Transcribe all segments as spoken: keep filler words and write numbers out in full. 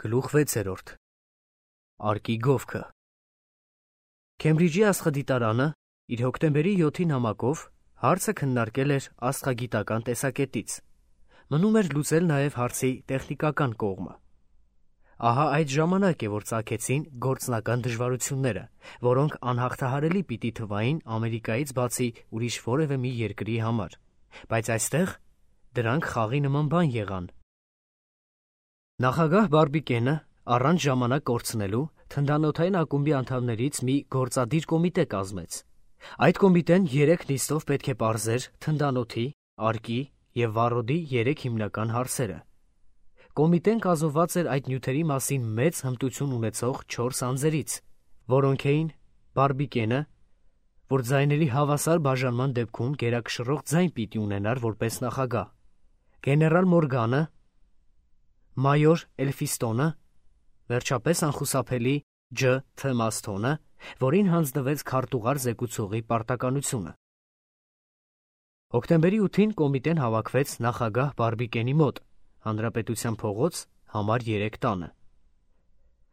Գլուխ վեցերորդ Արկի գովքը Քեմբրիջի աստղադիտարանը իր հոկտեմբերի յոթի նամակով հարցը քննարկել էր աստղագիտական տեսակետից, մնում էր լուծել նաև հարցի տեխնիկական կողմը։ Ահա այդ ժամանակ է, որ ծագեցին գործնական դժվարությունները, որոնք անհաղթահարելի պիտի թվային Ամերիկայից բացի ուրիշ որևէ մի երկրի համար, բայց այստեղ դրանք խաղի նման բան եղան։ Նախագահ Բարբիկենը առանց ժամանակ կորցնելու թնդանոթային ակումբի անդամներից մի գործադիր կոմիտե կազմեց։ Այդ կոմիտեն երեք նիստով պետք է պարզեր թնդանոթի, արկի և վառոդի երեք հիմնական հարցերը։ Կոմիտեն կազմված էր այդ նյութերի մասին մեծ հմտություն ունեցող չորս անձերից, որոնք էին Բարբիկենը, որ ձայների հավասար բաժանման դեպքում գերակշռող ձայն պիտի ունենար որպես նախագահ, գեներալ Մորգանը, մայոր Էլֆիստոնը, վերջապես անխուսափելի Ջ. Თ. Մասթոնը, որին հանձնվեց քարտուղար զեկուցողի պարտականությունը։ Հոկտեմբերի ութին կոմիտեն հավաքվեց նախագահ Բարբիկենի մոտ, Հանրապետության փողոց, համար երեք տանը։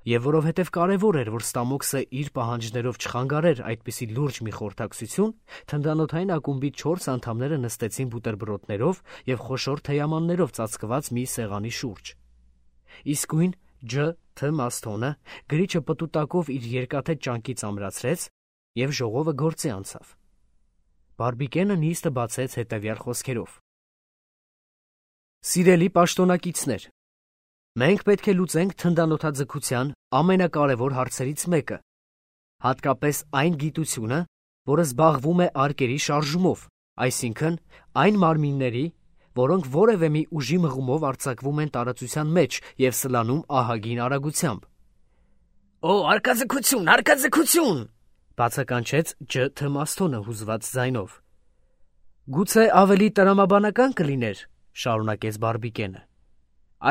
Եվ որովհետև կարևոր էր, որ Ստամոքսը իր պահանջներով չխանգարեր այդպիսի լուրջ մի խորհրդակցություն, թնդանոթային ակումբի չորս անդամները նստեցին բուտերբրոդներով և խոշոր թեյամաններով ծածկված մի սեղանի շուրջ։ Իսկույն Ջ. Თ. Մասթոնը գրիչը պտուտակով իր երկաթե ճանկից ամրացրեց և ժողովը գործի անցավ։ Բարբիկենը նիստը բացեց հետևյալ խոսքերով. Սիրելի պաշտոնակիցներ, մենք պետք է լուծենք թնդանոթաձգության ամենակարևոր հարցերից մեկը, հատկապես այն գիտությունը, որը զբաղվում է արկերի շարժումով, այսինքն այն մարմինների, որոնք որևէ մի ուժի մղումով արձակվում են տարածության մեջ և սլանում ահագին արագությամբ։ Օ, արկաձգություն, արկաձգություն, բացականչեց Ջ. Თ. Մասթոնը հուզված ձայնով։ Գուցե ավելի տրամաբանական կլիներ, շարունակեց Բարբիկենը,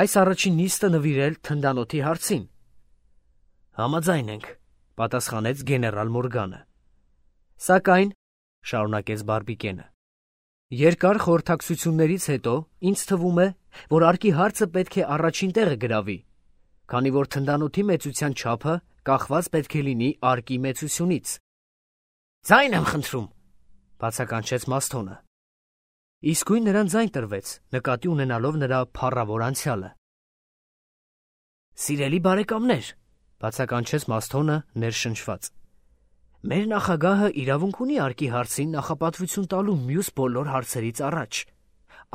այս առաջին նիստը նվիրել թնդանոթի հարցին։ Համաձայն ենք, պատասխանեց գեներալ Մորգանը։ Սակայն, շարունակեց Բարբիկենը, երկար խորհրդակցություններից հետո ինձ թվում է, որ արկի հարցը պետք է առաջին տեղը գրավի, քանի որ թնդանոթի մեծության չափը կախված պետք է լինի արկի մեծությունից։ Ձայն եմ խնդրում, բացականչեց Մասթոնը։ Իսկույն նրան ձայն տրվեց, նկատի ունենալով նրա փառավոր անցյալը։ Սիրելի բարեկամներ, բացականչեց Մասթոնը ներշնչված, մեր նախագահը իրավունք ունի արկի հարցին նախապատվություն տալու մյուս բոլոր հարցերից առաջ։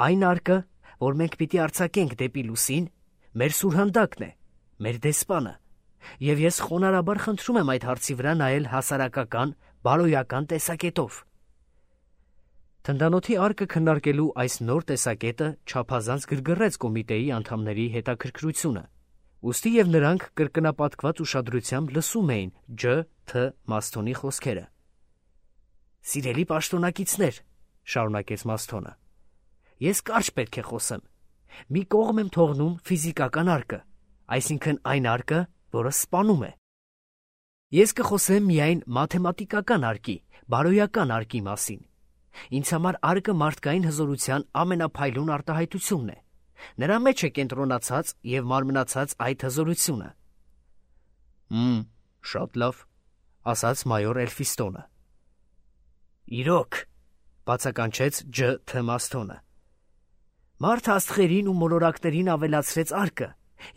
Այն արկը, որ մենք պիտի արձակենք դեպի լուսին, մեր սուրհանդակն է, մեր դեսպանը, և ես խոնարհաբար խնդրում եմ այդ հարցի վրա նայել հասարակական, բարոյական տեսակետով։ Թնդանոթի արկը քննարկելու այս նոր տեսակետը չափազանց գրգռեց կոմիտեի անդամների հետաքրքրությունը, ուստի և նրանք կրկնապատկված ուշադրությամբ լսում էին Ջ. Თ. Մասթոնի խոսքերը։ Սիրելի պաշտոնակիցներ, շարունակեց Մասթոնը, ես կարճ պետք է խոսեմ։ Մի կողմ եմ թողնում ֆիզիկական արկը, այսինքն այն արկը, որը սպանում է։ Ես կխոսեմ միայն մաթեմատիկական արկի, բարոյական արկի մասին։ Ինձ համար արկը մարդկային հզորության ամենափայլուն արտահայտությունն է։ Նրա մեջ է կենտրոնացած և մարմնացած այդ հզորությունը։ Մմ, շատ լավ, ասաց մայոր Էլֆիստոնը։ Իրոք, բացականչեց Ջ. Თ. Մասթոնը։ Մարդը աստղերին ու մոլորակներին ավելացրեց արկը,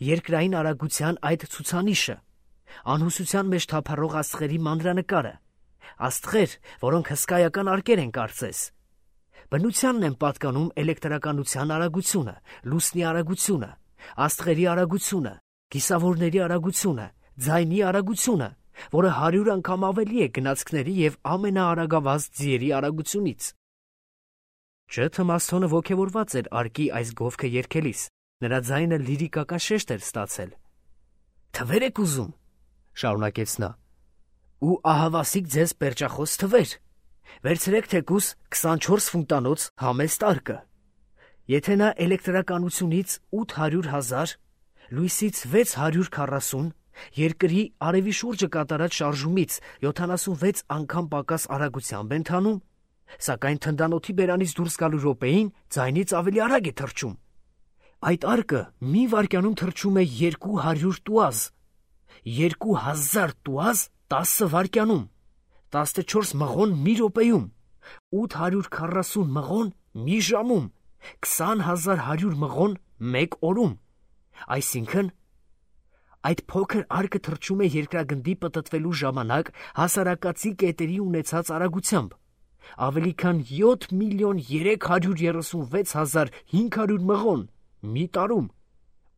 երկրային արագության այդ ցուցանիշը, անհուսության մեջ թափառող աստղերի մանրանկարը, աստղեր, որոնք հսկայական արկեր են կարծես։ Բնությանն են պատկանում էլեկտրականության արագությունը, լուսնի արագությունը, աստղերի արագությունը, կիսավորների արագությունը, ձայնի արագությունը, որը հարյուր անգամ ավելի է գնացքների և ամենաարագավազ ձիերի արագությունից։ Ջ. Თ. Մասթոնը ոգևորված էր արկի այս գովքը երգելիս, նրա ձայնը լիրիկական շեշտ էր ստացել։ Թվեր եք ուզում, շարունակեց նա, ու ահավասիկ ձեզ պերճախոս թվեր։ Վերցրեք թեկուզ քսանչորս ֆունտանոց համեստ արկը։ Եթե նա էլեկտրականությունից ութ հարյուր հազար, լույսից վեց հարյուր քառասուն, երկրի արևի շուրջը կատարած շարժումից յոթանասունվեց անգամ պակաս արագությամբ է ընթանում, սակայն թնդանոթի բերանից դուրս գալու րոպեին ձայնից ավելի արագ է թռչում։ Այդ արկը մի վայրկյանում թռչում է երկու հարյուր տուազ, երկու հազար տուազ տասը վայրկյանում, տասնչորս մղոն մի րոպեում, ութ հարյուր քառասուն մղոն մի ժամում, քսան հազար հարյուր մղոն մեկ օրում, այսինքն այդ փոքր արկը թռչում է երկրագնդի պտտվելու ժամանակ հասարակածի կետերի ունեցած արագությամբ, ավելի քան յոթ միլիոն երեք հարյուր երեսունվեց հազար հինգ հարյուր մղոն մի տարում,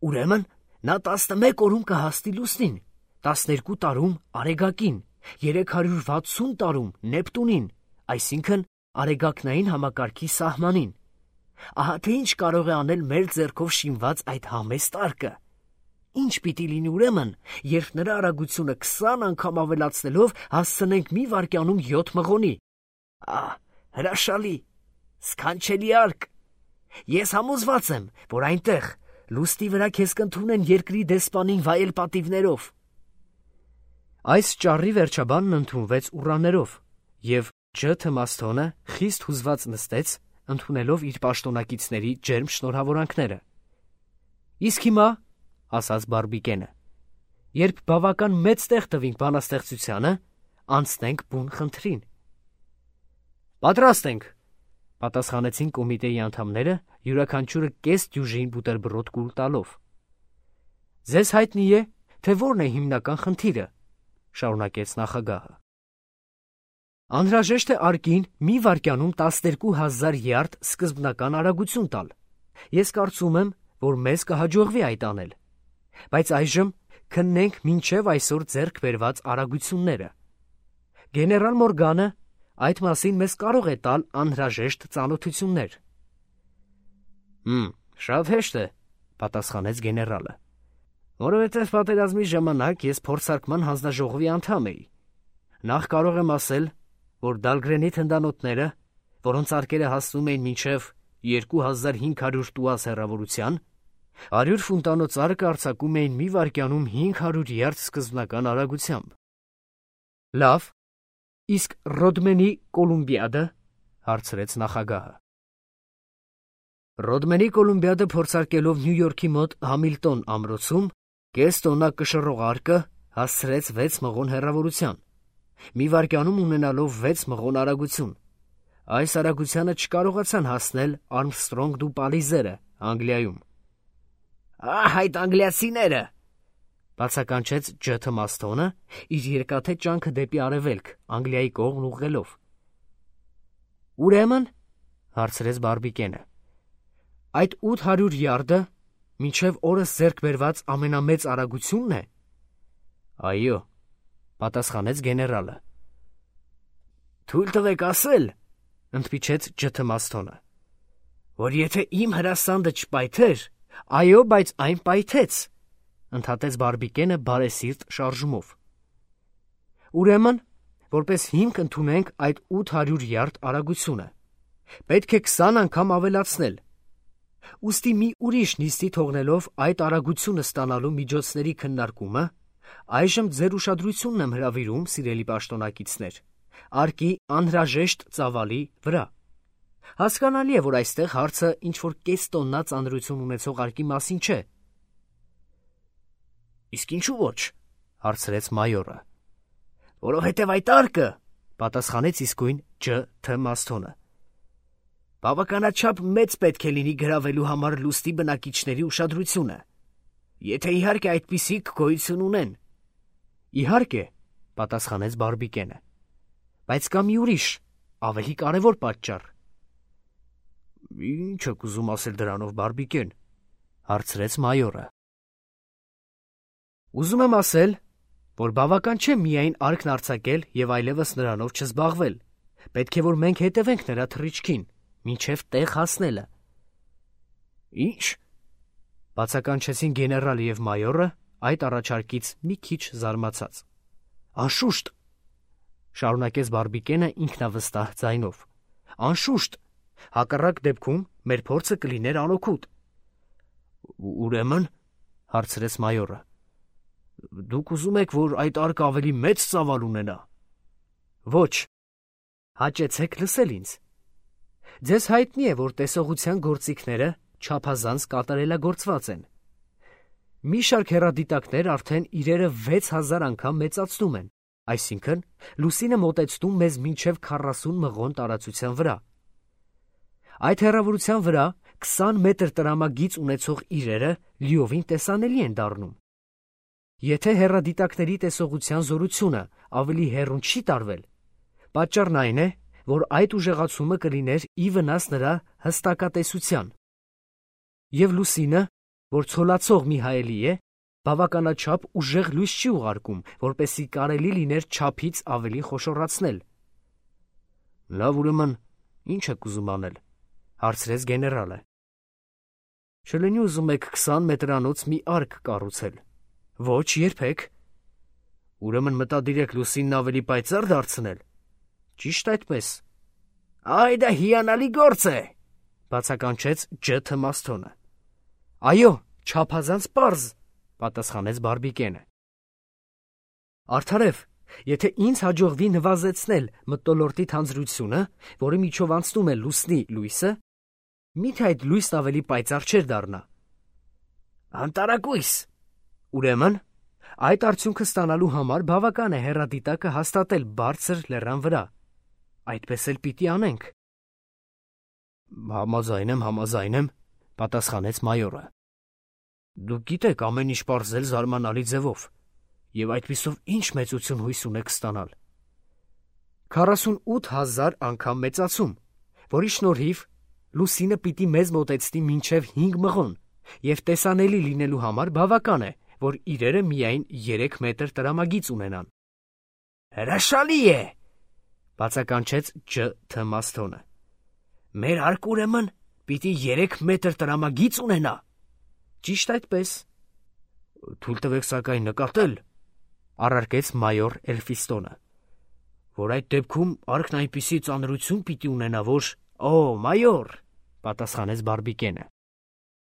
ուրեմն նա տասնմեկ օրում կհասնի լուսնին, տասներկու տարում արեգակին, երեք հարյուր վաթսուն տարում Նեպտունին, այսինքն արեգակնային համակարգի սահմանին։ Ահա թե ինչ կարող է անել մեր ձեռքով շինված այդ համեստ արկը։ Ինչ պիտի լինի ուրեմն, երբ նրա արագությունը քսան անգամ ավելացնելով հասցնենք մի վայրկյանում յոթ մղոնի։ Ահ, հրաշալի, սքանչելի արկ։ Ես համոզված եմ, որ այնտեղ լուսնի վրա քեզ կընդունեն երկրի դեսպանին վայել պատիվներով։ Այս ճառի վերջաբանն ընդունվեց ուռաներով, և Ջ. Թմասթոնը խիստ հուզված նստեց, ընդունելով իր պաշտոնակիցների ջերմ շնորհավորանքները։ Իսկ հիմա, ասաց Բարբիկենը, երբ բավական մեծ տեղ տվինք բանաստեղծությանը, անցնենք բուն խնդրին։ Պատրաստ ենք, պատասխանեցին կոմիտեի անդամները, յուրաքանչյուրը կես դյուժին բուտերբրոդ կուլ տալով։ Ձեզ հայտնի է, թե որն է հիմնական խնդիրը, շարունակեց նախագահը։ Անհրաժեշտ է արկին մի վայրկյանում տասներկու հազար յարդ սկզբնական արագություն տալ։ Ես կարծում եմ, որ մեզ կհաջողվի այդ անել, բայց այժմ քննենք մինչև այսօր ձեռք բերված արագությունները։ Գեներալ Մորգանը այդ մասին մեզ կարող է տալ անհրաժեշտ ծանոթություններ։ Հմ, շատ հեշտ է, պատասխանեց գեներալը, որովհետև պատերազմի ժամանակ ես փորձարկման հանձնաժողովի անդամ էի։ Նախ կարող եմ ասել, որ Դալգրենի թնդանոթները, որոնց արկերը հասնում էին մինչև երկու հազար հինգ հարյուր տուազ հեռավորության, հարյուր ֆունտանոց արկը արձակում էին մի վայրկյանում հինգ հարյուր յարդ սկզբնական արագությամբ։ Լավ, իսկ Ռոդմենի Կոլումբիադը, հարցրեց նախագահը։ Ռոդմենի Կոլումբիադը փորձարկելով Նյու Յորքի մոտ Համիլտոն ամրոցում կես տոննա կշռող արկը հասցրեց վեց մղոն հեռավորության, մի վայրկյանում ունենալով վեց մղոն արագություն։ Այս արագությանը չկարողացան հասնել Արմստրոնգ դու Պալիզերը Անգլիայում։ Ահ, այդ անգլիացիները, բացականչեց Ջ. Թմասթոնը, իր երկաթե ճանքը դեպի արևելք, Անգլիայի կողմն ուղղելով։ Ուրեմն, հարցրեց Բարբիկենը, այդ ութ հարյուր յարդը մինչև օրս ձեռք բերված ամենամեծ արագությունն է։ Այո, պատասխանեց գեներալը։ Թույլ տվեք ասել, ընդմիջեց Ջ. Թմասթոնը, որ եթե իմ հրասանդը չպայթեր, այո, բայց այն պայթեց, ընդհատեց Բարբիկենը բարեսիրտ շարժումով։ Ուրեմն, որպես հիմք ընդունենք այդ ութ հարյուր յարդ արագությունը, պետք է քսան անգամ ավելացնել։ Ուստի մի ուրիշ նիստի թողնելով այդ արագությունը ստանալու միջոցների քննարկումը, այժմ ձեր ուշադրությունն եմ հրավիրում, սիրելի պաշտոնակիցներ, արկի անհրաժեշտ ծավալի վրա։ Հասկանալի է, որ այստեղ հարցը ինչ-որ կես տոննա ծանրություն ունեցող արկի մասին չէ։ Իսկ ինչու ոչ, հարցրեց մայորը։ Որովհետև այդ արկը, պատասխանեց իսկույն Ջ. Թմասթոնը, բավականաչափ մեծ պետք է լինի գրավելու համար լուսնի բնակիչների ուշադրությունը, եթե իհարկե այդպիսիք գոյություն ունեն։ Իհարկե, պատասխանեց Բարբիկենը, բայց կա մի ուրիշ, ավելի կարևոր պատճառ։ Ինչ եք ուզում ասել դրանով, Բարբիկեն, հարցրեց մայորը։ Ուզում եմ ասել, որ բավական չէ միայն արկն արձակել և այլևս նրանով չզբաղվել, պետք է որ մենք հետևենք նրա թռիչքին, մինչև տեղ հասնելը։ Ինչ, բացականչեցին գեներալը և մայորը այդ առաջարկից մի քիչ զարմացած։ Անշուշտ, շարունակեց Բարբիկենը ինքնավստահ ձայնով, անշուշտ, հակառակ դեպքում մեր փորձը կլիներ անօգուտ։ Ուրեմն, հարցրեց մայորը, դուք ուզում եք, որ այդ արկը ավելի մեծ ծավալ ունենա։ Ոչ, հաճեցեք լսել ինձ։ Ձեզ հայտնի է, որ տեսողության գործիքները չափազանց կատարելագործված են։ Մի շարք հեռադիտակներ արդեն իրերը վեց հազար անգամ մեծացնում են, այսինքն լուսինը մոտեցնում մեզ մինչև քառասուն մղոն տարածության վրա։ Այդ հեռավորության վրա քսան մետր տրամագիծ ունեցող իրերը լիովին տեսանելի են դառնում։ Եթե հեռադիտակների տեսողության զորությունը ավելի հեռուն չի տարվել, պատճառն այն է, որ այդ ուժեղացումը կլիներ ի վնաս նրա հստակատեսության։ Եվ լուսինը, որ ցոլացող մի հայելի է, բավականաչափ ուժեղ լույս չի ուղարկում, որպեսզի կարելի լիներ չափից ավելի խոշորացնել։ Լավ, ուրեմն, ի՞նչ եք ուզում անել, հարցրեց գեներալը։ Չլինի ուզում եք քսան մետրանոց մի արկ կառուցել։ Ոչ, երբեք։ Ուրեմն մտադիր եք լուսինն ավելի պայծառ դարձնել։ Ճիշտ այդպես։ Այ դա հիանալի գործ է, բացականչեց Ջ. Թմասթոնը։ Այո, չափազանց պարզ, պատասխանեց Բարբիկենը։ Արդարև, եթե ինձ հաջողվի նվազեցնել մթնոլորտի թանձրությունը, որի միջով անցնում է լուսնի լույսը, միթե այդ լույսն ավելի պայծառ չէր դառնա։ Անտարակույս։ Ուրեմն, այդ արդյունքը ստանալու համար բավական է հեռադիտակը հաստատել բարձր լեռան վրա։ Այդպես էլ պիտի անենք։ Համաձայն եմ, համաձայն եմ, պատասխանեց մայորը։ Դուք գիտեք ամեն ինչ պարզել զարմանալի ձևով, եւ այդպիսով ինչ մեծություն հույս ունեք ստանալ։ քառասունութ հազար անգամ մեծացում, որի շնորհիվ լուսինը պիտի մեզ մոտեցնի մինչև հինգ մղոն, եւ տեսանելի լինելու համար բավական է, որ իրերը միայն երեք մետր տրամագիծ ունենան։ Հրաշալի է, բացականչեց Ջ. Թմասթոնը։ Մեր արկ ուրեմն պիտի երեք մետր տրամագիծ ունենա։ Ճիշտ այդպես։ Թույլ տվեք սակայն նկատել, առարկեց մայոր Էլֆիստոնը, որ այդ դեպքում արկն այնպիսի ծանրություն պիտի ունենա, որ… Օ, մայոր, պատասխանեց Բարբիկենը։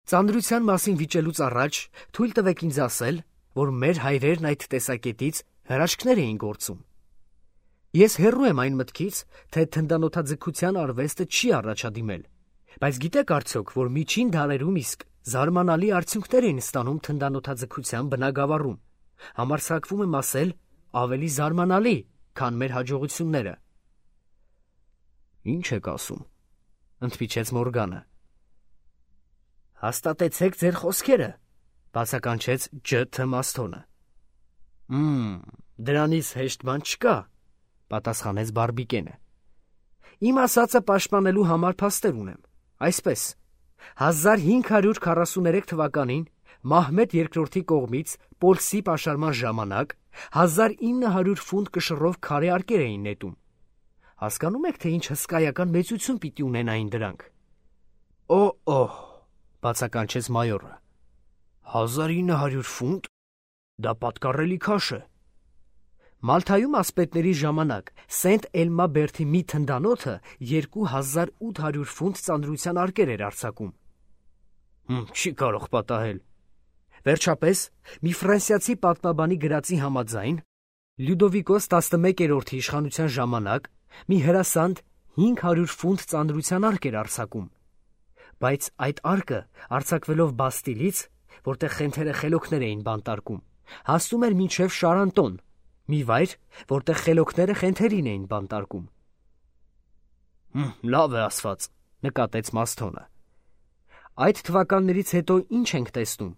Ծանրության մասին վիճելուց առաջ թույլ տվեք ինձ ասել, որ մեր հայրերն այդ տեսակետից հրաշքներ էին գործում։ Ես հեռու եմ այն մտքից, թե թնդանոթաձգության արվեստը չի առաջադիմել, բայց գիտեք արդյոք, որ միջին դարերում իսկ զարմանալի արդյունքներ էին ստանում թնդանոթաձգության բնագավառում, համարձակվում եմ ասել, ավելի զարմանալի, քան մեր հաջողությունները։ Ինչ եք ասում, ընդմիջեց Մորգանը։ Հաստատեցեք ձեր խոսքերը, բացականչեց Ջ. Թմասթոնը։ Մմ, դրանից հեշտ բան չկա, պատասխանեց Բարբիկենը։ Իմ ասածը պաշտպանելու համար փաստեր ունեմ, այսպես. հազար հինգ հարյուր քառասուներեք թվականին Մահմեդ երկրորդի կողմից Պոլսի պաշարման ժամանակ հազար ինը հարյուր ֆունտ կշռով քարե արկեր էին նետում։ Հասկանում եք, թե ինչ հսկայական մեծություն պիտի ունենային դրանք։ Օ, օհ, բացականչեց մայորը։ Հազար ինը հարյուր ֆունտ, դա պատկառելի քաշ է։ Մալթայում ասպետների ժամանակ Սենտ Էլմա բերդի մի թնդանոթը երկու հազար ութ հարյուր ֆունտ ծանրության արկեր էր արձակում։ Հմ, չի կարող պատահել։ Վերջապես, մի ֆրանսիացի պատմաբանի գրածի համաձայն, Լյուդովիկոս տասնմեկերորդի իշխանության ժամանակ մի հրասանդ հինգ հարյուր ֆունտ ծանրության արկ էր արձակում։ Բայց այդ արկը, արձակվելով Բաստիլից, որտեղ խենթերը խելոքներ էին բանտարկում, հասնում էր մինչև Շարանտոն, մի վայր, որտեղ խելոքները խենթերին էին բանտարկում։ Հմ, լավ է ասված, նկատեց Մասթոնը։ Այդ թվականներից հետո ինչ ենք տեսնում։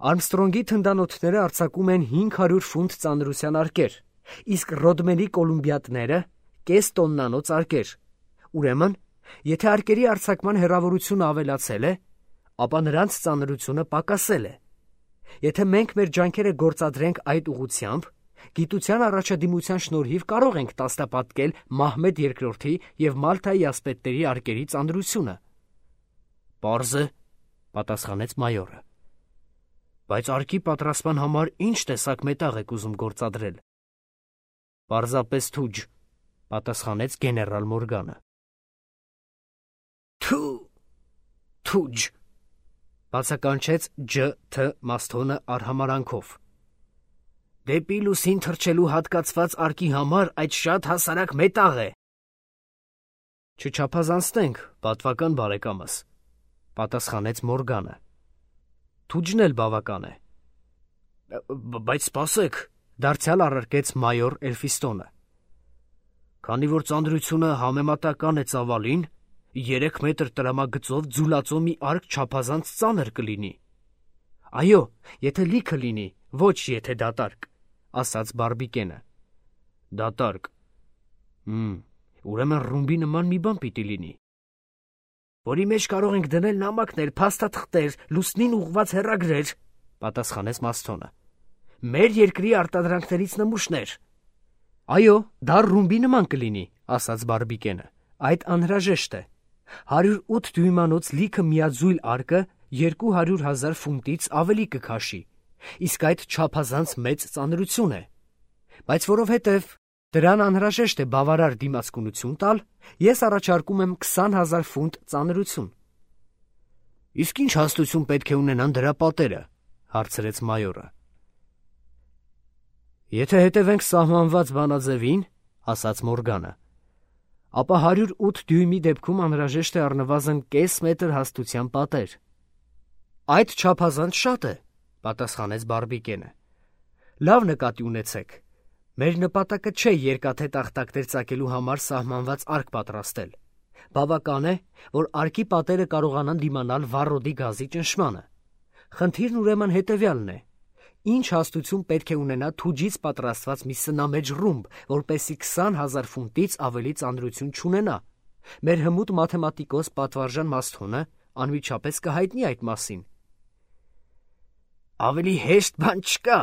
Արմստրոնգի թնդանոթները արձակում են հինգ հարյուր ֆունտ ծանրության արկեր, իսկ Ռոդմենի կոլումբիատները կես տոննանոց արկեր։ Ուրեմն, եթե արկերի արձակման հեռավորությունը ավելացել է, ապա նրանց ծանրությունը պակասել է։ Եթե մենք մեր ջանքերը գործադրենք այդ ուղղությամբ, գիտության առաջադիմության շնորհիվ կարող ենք տասնապատկել Մահմեդ երկրորդի և Մալթայի ասպետների արկերի ծանրությունը։ Պարզ է, պատասխանեց մայորը։ Բայց արկի պատրաստման համար ինչ տեսակ մետաղ եք ուզում գործադրել։ Պարզապես թուջ, պատասխանեց գեներալ Մորգանը։ Թու, թուջ, բացականչեց Ջ. Თ. Մասթոնը արհամարանքով։ Դեպի լուսին թռչելու հատկացված արկի համար այդ շատ հասարակ մետաղ է։ Չչափազանցնենք, պատվական բարեկամս, պատասխանեց Մորգանը։ Թուջն էլ բավական է։ Բայց սպասեք, դարձյալ առարկեց մայոր Էլֆիստոնը։ Քանի որ ծանրությունը համեմատական է ծավալին, երեք մետր տրամագծով ձուլածո մի արկ չափազանց ծանր կլինի։ Այո, եթե լիքը լինի, ոչ եթե դատարկ, ասաց Բարբիկենը։ Դատարկ։ Հմ, ուրեմն ռումբի նման մի բան պիտի լինի, որի մեջ կարող ենք դնել նամակներ, փաստաթղթեր, լուսնին ուղղված հեռագրեր, պատասխանեց Մասթոնը։ Մեր երկրի արտադրանքներից նմուշներ։ Այո, դա ռումբի նման կլինի, ասաց Բարբիկենը։ Այդ անհրաժեշտ է։ հարյուր ութ դյույմանոց լիքը միաձույլ արկը երկու հարյուր հազար ֆունտից ավելի կքաշի, իսկ այդ չափազանց մեծ ծանրություն է։ Բայց որովհետև դրան անհրաժեշտ է բավարար դիմացկունություն տալ, ես առաջարկում եմ քսան հազար ֆունտ ծանրություն։ Իսկ ինչ հաստություն պետք է ունենան դրա պատերը, հարցրեց մայորը։ Եթե հետևենք սահմանված բանաձևին, ասաց Մորգանը, ապա հարյուր ութ դյույմի դեպքում անհրաժեշտ է առնվազն կես մետր հաստության պատեր։ Այդ չափազանց շատ է, պատասխանեց Բարբիկենը։ Լավ նկատի ունեցեք, մեր նպատակը չէ երկաթե տախտակներ ծակելու համար սահմանված արկ պատրաստել։ Բավական է, որ արկի պատերը կարողանան դիմանալ վառոդի գազի ճնշմանը։ Խնդիրն ուրեմն հետևյալն է. ինչ հաստություն պետք է ունենա թուջից պատրաստված մի սնամեջ ռումբ, որպեսզի քսան հազար ֆունտից ավելի ծանրություն չունենա։ Մեր հմուտ մաթեմատիկոս Պատվարժան Մասթոնը անմիջապես կհայտնի այդ մասին։ Ավելի հեշտ բան չկա,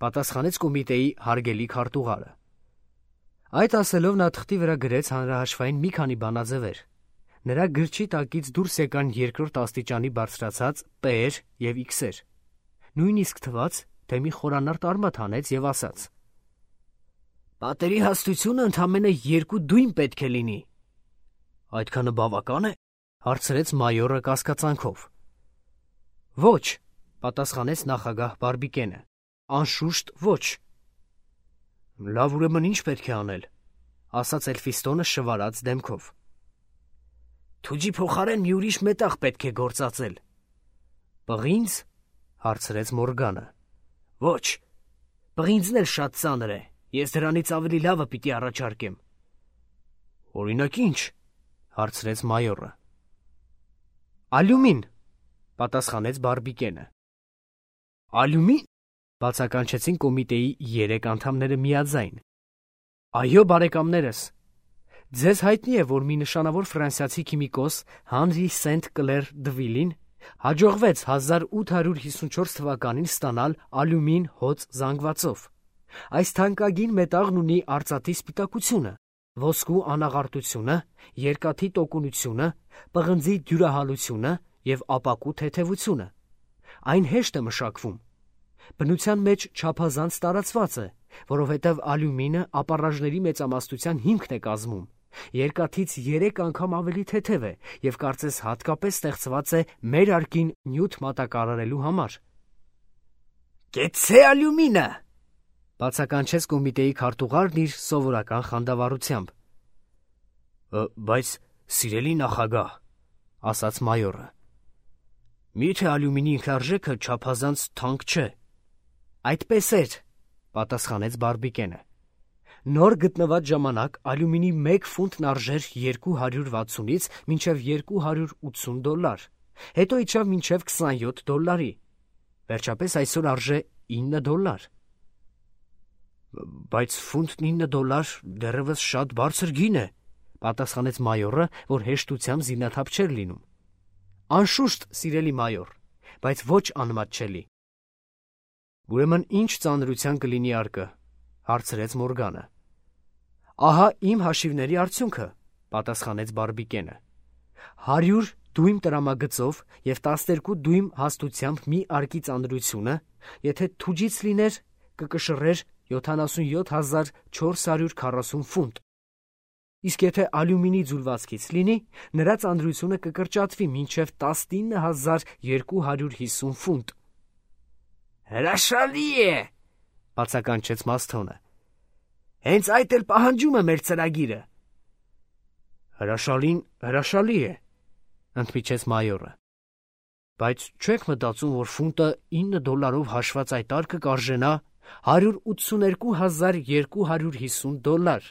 պատասխանեց կոմիտեի հարգելի քարտուղարը։ Այդ ասելով նա թղթի վրա գրեց հանրահաշվային մի քանի բանաձևեր։ Նրա գրչի տակից դուրս եկան երկրորդ աստիճանի բարձրացած P-եր և X-եր։ Նույնիսկ թվաց, թե մի խորանարդ արմատ հանեց և ասաց. Պատերի հաստությունը ընդամենը երկու դույմ պետք է լինի։ Այդքանը բավական է, հարցրեց մայորը կասկածանքով։ Ոչ, պատասխանեց նախագահ Բարբիկենը, անշուշտ ոչ։ Լավ, ուրեմն ինչ պետք է անել, ասաց Էլֆիստոնը շվարած դեմքով։ Թուջի փոխարեն մի ուրիշ մետաղ պետք է գործածել։ Պղինձ, հարցրեց Մորգանը։ Ոչ, պղինձն էլ շատ ծանր է, ես դրանից ավելի լավը պիտի առաջարկեմ։ Օրինակ ինչ, հարցրեց մայորը։ Ալյումին, պատասխանեց Բարբիկենը։ Ալյումին, բացականչեցին կոմիտեի երեք անդամները միաձայն։ Այո, բարեկամներս, ձեզ հայտնի է, որ մի նշանավոր ֆրանսիացի քիմիկոս Հանրի Սենտ Կլեր Դվիլին հաջողվեց հազար ութ հարյուր հիսունչորս թվականին ստանալ ալյումին հոծ զանգվածով։ Այս թանկագին մետաղն ունի արծաթի սպիտակությունը, ոսկու անաղարտությունը, երկաթի տոկունությունը, պղնձի դյուրահալությունը և ապակու թեթևությունը։ Այն հեշտ է մշակվում։ Բնության մեջ չափազանց տարածված է, որովհետև ալյումինը ապառաժների մեծամասնության հիմքն է կազմում։ Երկաթից երեք անգամ ավելի թեթև է և կարծես հատկապես ստեղծված է մեր արկին նյութ մատակարարելու համար։ Կեցցե ալյումինը, բացականչեց կոմիտեի քարտուղարն իր սովորական խանդավառությամբ։ Բայց սիրելի նախագահ, ասաց մայորը, միթե ալյումինի ինքնարժեքը չափազանց թանկ չէ։ Այդպես էր, պատասխանեց Բարբիկենը։ Նոր գտնված ժամանակ ալյումինի մեկ ֆունտն արժեր երկու հարյուր վաթսունից մինչև երկու հարյուր ութսուն դոլար, հետո իջավ մինչև քսանյոթ դոլարի, վերջապես այսօր արժե ինը դոլար։ Բայց ֆունտն ինը դոլար դեռևս շատ բարձր գին է, պատասխանեց մայորը, որ հեշտությամբ զինաթափ չէր լինում։ Անշուշտ, սիրելի մայոր, բայց ոչ անմատչելի։ Ուրեմն ինչ ծանրության կլինի արկը, հարցրեց Մորգանը։ Ահա իմ հաշիվների արդյունքը, պատասխանեց Բարբիկենը։ հարյուր դույմ տրամագծով և տասներկու դույմ հաստությամբ մի արկի ծանրությունը, եթե թուջից լիներ, կկշռեր յոթանասունյոթ հազար չորս հարյուր քառասուն ֆունտ։ Իսկ եթե ալյումինի ձուլվածքից լինի, նրա ծանրությունը կկրճատվի մինչև տասնինը հազար երկու հարյուր հիսուն ֆունտ։ Հրաշալի է, բացականչեց Մասթոնը։ Հենց այդ էլ պահանջում է մեր ծրագիրը։ Հրաշալին հրաշալի է, ընդմիջեց մայորը։ Բայց չեք մտածում, որ ֆունտը ինը դոլարով հաշված այդ արկը կարժենա հարյուր ութսուներկու հազար երկու հարյուր հիսուն դոլար։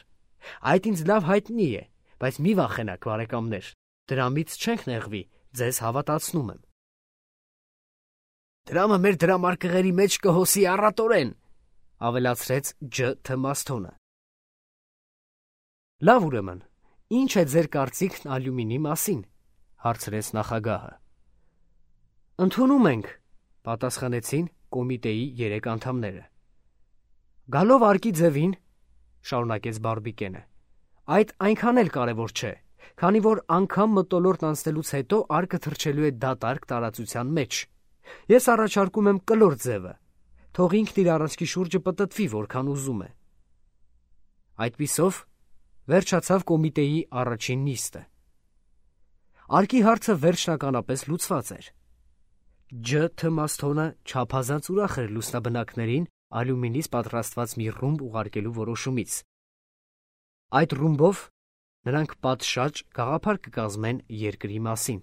Այդ ինձ լավ հայտնի է, բայց մի վախենաք, բարեկամներ, դրամից չենք նեղվի, ձեզ հավատացնում եմ։ Դրամը մեր դրամարկղերի մեջ կհոսի առատորեն, ավելացրեց Ջ. Թ. Մասթոնը։ Լավ, ուրեմն, ինչ է ձեր կարծիքն ալյումինի մասին, հարցրեց նախագահը։ Ընդունում ենք, պատասխանեցին կոմիտեի երեք անդամները։ Գալով արկի ձևին, շարունակեց Բարբիկենը, այդ այնքան էլ կարևոր չէ, քանի որ անգամ մթոլորտ անցնելուց հետո արկը թռչելու է դատարկ տարածության մեջ։ Ես առաջարկում եմ կլոր ձևը, թող ինքն իր առանցքի շուրջը պտտվի, որքան ուզում է։ Այդպիսով վերջացավ կոմիտեի առաջին նիստը։ Արկի հարցը վերջնականապես լուծված էր։ Ջ. Թ. Մասթոնը չափազանց ուրախ էր լուսնաբնակներին ալյումինից պատրաստված մի ռումբ ուղարկելու որոշումից։ Այդ ռումբով նրանք պատշաճ գաղափար կկազմեն երկրի մասին։